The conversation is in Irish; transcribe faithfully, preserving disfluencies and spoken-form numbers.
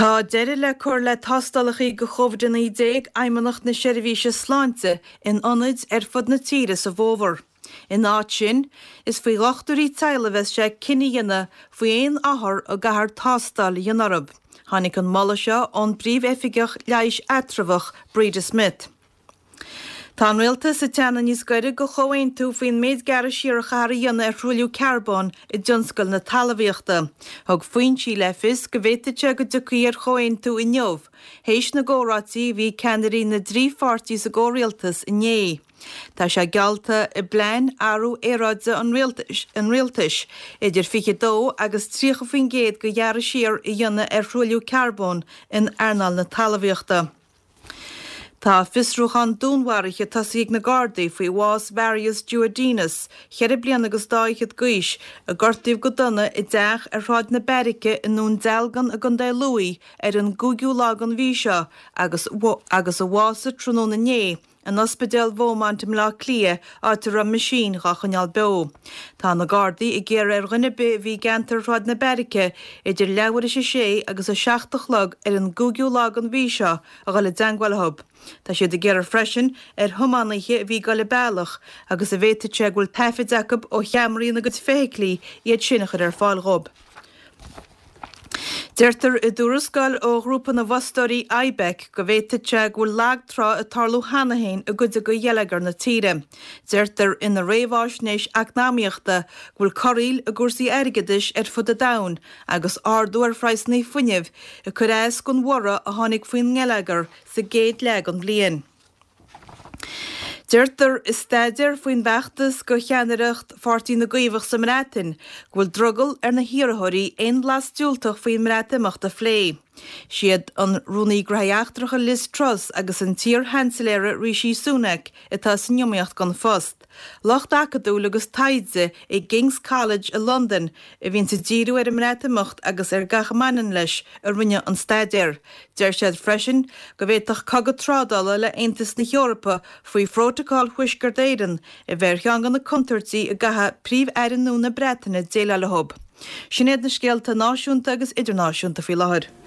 Tá deireadh le cur le tástálacha do Covid a naoi déag Fheidhmeannacht na Seirbhíse Sláinte in ionaid ar fud na tíre sa bhfómhar. Ina áit sin, is faoi dhochtúirí teaghlaigh a bheas sé cinneadh a dhéanamh faoi aon othar a gcaithfear tástáil a dhéanamh orthu. Tháinig an moladh seo ón bPríomh-Oifigeach Leighis Eatramhach, Breda Smith. Tá an Rialtas ag teannadh níos gaire do chomhaontú faoin méid gearradh siar a chaithfear a dhéanamh ar thruailliú carbóin i dtionscal na talmhaíochta. Thug foinsí le fios go bhféadfadh sé go dtiocfaí ar chomhaontú inniu, théis na gcomhráití a bhí ag ceannairí na dtrí pháirtí sa gcomhrialtas inné. Tá sé geallta i bplean athrú aeráide an rialtais idir fiche dó agus tríocha faoin gcéad de ghearradh siar a dhéanamh ar thruailliú carbóin in earnáil na talmhaíochta. Tá fiosrúchán dúnmharaithe tosaithe ag na Gardaí faoi bhás Marius Juodinas, ceithre bliana agus dá fhichead d'aois, a gortaíodh go dona i dteach ar Shráid na Beairice i nDún Dealgan i gContae Lú ar an gcúigiú lá den mhí seo agus agus a bhásaigh tráthnóna inné in Ospidéal Beaumont i mBleá Cliath, áit a raibh meaisín dhá choinneáil beo. Tá na Gardaí ag iarraidh ar dhuine ar bith a bhí i gceantar Shráid na Beairice idir leathuair théis a sé agus a seacht a chlog ar an gcúigiú lá den mhí seo a dhul i dteangmháil leo. Tá siad ag iarraidh freisin ar thiománaithe a bhí ag dul an bealach agus a bhféadfadh sé go bhfuil taifid acu ó cheamaraí ina gcuid feithiclí iad sin a chur ar fáil dhóibh. Deirtear i dtuarascáil ó ghrúpa na bhfostóirí IBEC go bhféadfadh sé go bhfuil lag trá ag tarlú cheana féin i gcuid de gheilleagar na tíre. Deirtear ina réamháisnéis eacnamaíochta go bhfuil corraíl i gcúrsaí airgeadais ar fud an domhain agus ardú ar phraghsanna fuinnimh ag cur as don bhorradh a tháinig faoin ngeilleagar sa gcéad leath den bhliain. Deirtear i staidéar faoin bhfeachtas do cheannaireacht Pháirtí na gCaomhach sa mBreatain go bhfuil drogall ar na hiarrthóirí aon bhlas diúltach faoin mBreatimeacht a phlé. Siad an Rúnaí Gnóthaí Eachtracha Liz Truss agus an t-iar-Sheansailéir Rishi Sunak atá san iomaíocht don phost. Lucht acadúil agus taighde i gKing's College i Londain a bhíonns ag díriú ar an mBreatimeacht agus ar gach a mbaineann leis a rinne an staidéar. Deir siad freisin go bhféadfadh cogadh trádála le Aontas na hEorpa faoi Phrótacal Thuaisceart Éireann a bheith ar cheann de na contúirtí a gcaithfidh Príomh-Aire nua na Breataine déileáil leo. Sin iad na scéalta náisiúnta agus idirnáisiúnta faoi láthair.